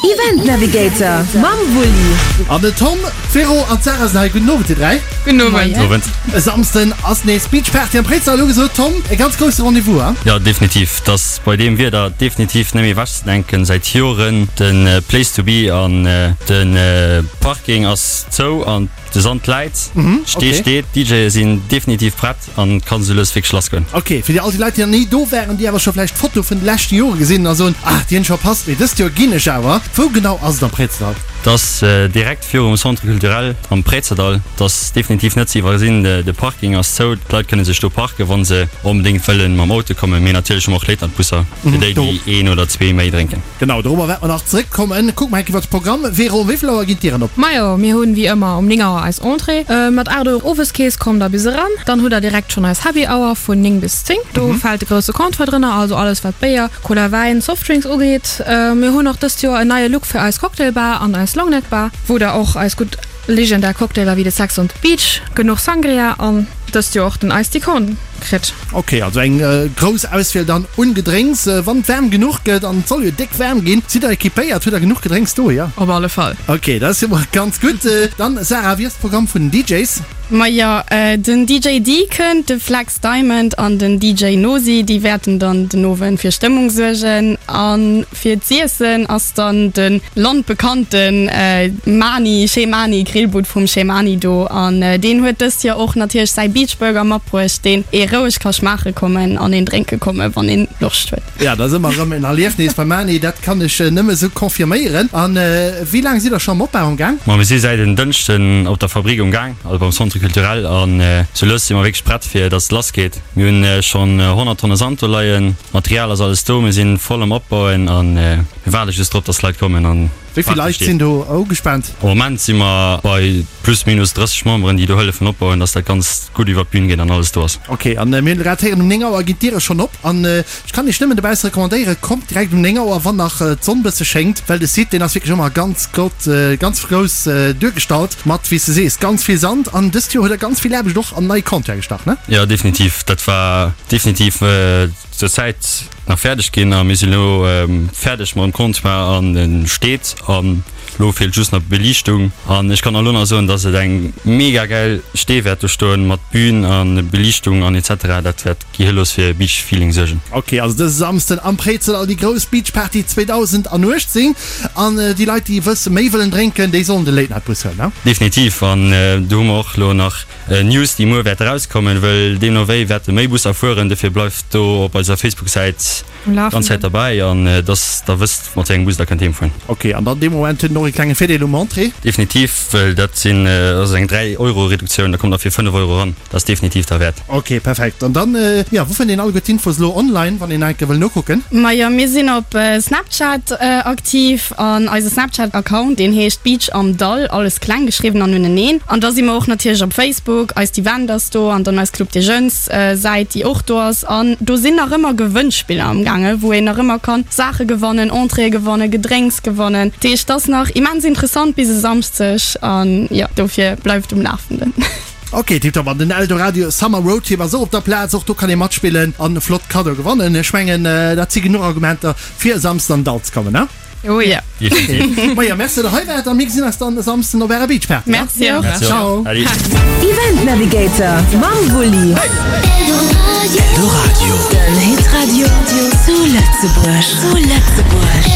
Event Navigator mam Wulli. An den Tom, d'Vero an d'Sarah sinn hei. Gudden Owend dir 3. Gudden Owend. Owend. E Samsden ass nees Beach Party am Préizerdaul ugesot. Tom, e ganz grousse Rendez-vous, hein? Jo, definitiv. Et ass bei deem Wieder definitiv net méi ewechzedenken. Säit Joren de Place to be an de Parking ass zou an de Sand läit. D'Stee steet, d'DJe sinn definitiv prett an et kann esou lues wierklech lass goen. Ok, fir déi all déi Leit, déi nach ni do waren, déi awer scho vläicht d'Foto vun de leschte Jore gesinn hunn a soen, ah, déi hunn ech verpasst, mee dëst Joer ginn ech awer. Wou genau ass et am Préizerdaul? Et ass direkt virum Centre culturel am Préizerdaul. Et ass definitiv net ze iwwersinn. De Parking ass zou, d'Leit kënne sech do parken, wa se onbedéngt wëllen mam Auto kommen. Mee natierlech hu mer och Late-Night-Busser fir déi, déi een oder zwee méi drénken. Genau, dorobber wäerte mer nach zeréckkommen. Kucke mer eng Kéier iwwer de Programm. Vero, um wéi vill Auer ginn d'Dieren op? Majo, mir hunn wéi ëmmer um 9 Auer eis Entrée. Mat 8 Auer Oweskeess kommt der bis eran. Dann hutt der direkt schonn eis Happy Hour vun 9 bis 10. Do fält de grousse Comptoir drënner, also alles wat Béier, Cola, Wäin, Softdrinks ugeet. Mir hunn och dëst Joer en neie Look fir eis Cocktail Bar an eis Longneck Bar, wou der och eis gutt legendär Cocktailer wéi de Sex on the Beach, genuch Sangria an dëst Joer och den Iced Tea Cone kritt. Ok, also eng grouss Auswiel dann un Gedrénks. Wann et waarm genuch gëtt, an et soll jo déck waarm ginn, sidd der equipéiert? Hutt der genuch Gedrénks do? Jo? Op alle Fall. Ok, dat ass jo mol ganz gutt. Dann Sarah, wéi ass de Programm vun den DJs? Majo, den DJ Dee kënnt, de Flex Diamond an den DJ Nosi, déi wäerten dann den Owend fir Stëmmung suergen. A fir z'iessen ass dann de landbekannte Mani, Chez Mani, Grillbud vum Chez Mani do. An deen huet dëst Joer och natierlech säi Beach Burger matbruecht, deen ee roueg ka schmaache kommen an een drénke komme wann een Loscht huet. Ja, dat ass ëmmer erëm en Erliefnis beim Mani, dat kann ech nëmme esou confirméieren. An wéi laang sidd der scho am Opbau am Gaang? Ma mir si säit en Dënschden op der Fabrik um Gaang, also beim Centre Culturel, an sou lues si mer wierklech prett fir dass et lass geet. Mir hunn schonn 100 Tonne Sand do leien, Material ass alles do, mir si voll am Opbauen an mir waarde just drop, dass d'Leit kommen an Wéi vill d'Party Leit steet. sinn do ugespaant? Am Moment si mer bei plus minus 30 Memberen, déi do hëllefen opbauen, dass dat Ganzt gutt iwwer d'Bün geet an alles do ass. Ok, an mir hunn grad héieren, um 9 Auer ginn d'Diere schonn op. An ech kann iech nëmmen dobausse recommandéieren, kommt direkt um 9 Auer, wann nach d'Sonn bësse schéngt, well de Site, deen ass wierklech ëmmer ganz gott, ganz grouss duergestallt mat, wéi s de sees, ganz vill Sand. An dëst Joer huet der ganz vill Aarbecht och an nei Comptoire gestach, ne? Jo, definitiv. Dat war definitiv zur Zäit nach fäerdeg ginn a mir sinn elo fäerdeg mam Comptoir an e steet an elo feelt just nach d'Beliichtung. An ech kann elo nach soen, dass et eng mega gäil Stee wäert do stoen mat Bühn a Beliichtung an etc. Dat wäert Gehirlos fir Beach Feeling suergen. Ok, also dëse Samsden am Préizerdaul déi grouss Beach Party 2018 an déi Leit déi wësse méi wëllen drénken, déi sollen de Late Night Bus huelen, ne? Definitiv, an do hu mer och elo nach News déi muer wäerte rauskommen, wëll deemno wéi wäerte méi Busser fueren, dofir bleift do op eiser Facebook Säit Ganz Zäit derbäi an dass der wësst mat wéi engem Bus der kënnt heem fueren. Ok, an dann dee Moment huet en och ee klenge Virdeel um Entrée? Definitiv, well dat sinn, dat ass eng 3 Euro Reduktioun, da kommt der fir 5 Euro eran, dat ass definitiv derwäert. Ok, perfekt. An dann, jo, wou fënnt een alleguer d'Infos elo online, wann een nach eng Kéier wëll nokucken? Majo, mir sinn op Snapchat aktiv an eise Snapchat Account, deen heescht Beach am Dall, alles kleng geschriwwen an uneneen. An da si mer och natierlech op Facebook, eist Event ass do an dann eis Club des Jeunes. Säit déi och do ass an do sinn nach ëmmer Gewënnspiller am gaange wou een nach ëmmer kann Saache gewannen, Entréeë gewannen, Gedrénks gewannen. Dat heescht et ass nach immens interessant bis e Samschdeg an jo dofir bleift um Lafenden. Ok tiptop, an den Eldoradio Summer Roadtrip ass och op der Plaz, och do kann ee matspillen an flott Kaddoe gewannen. Ech mengen dat si genuch Argumenter fir e Samsden an den Dall ze kommen, ne? Oh ja. Maja, merci dat der hei waart a mir gesinn eis dann e Samsden op ärer Beachparty. Merci och. Merci och. Ciao. Salut. Event Navigator mam Wulli. Eldoradio. Den Hitradio zu Lëtzebuerg. Zu Lëtzebuerg.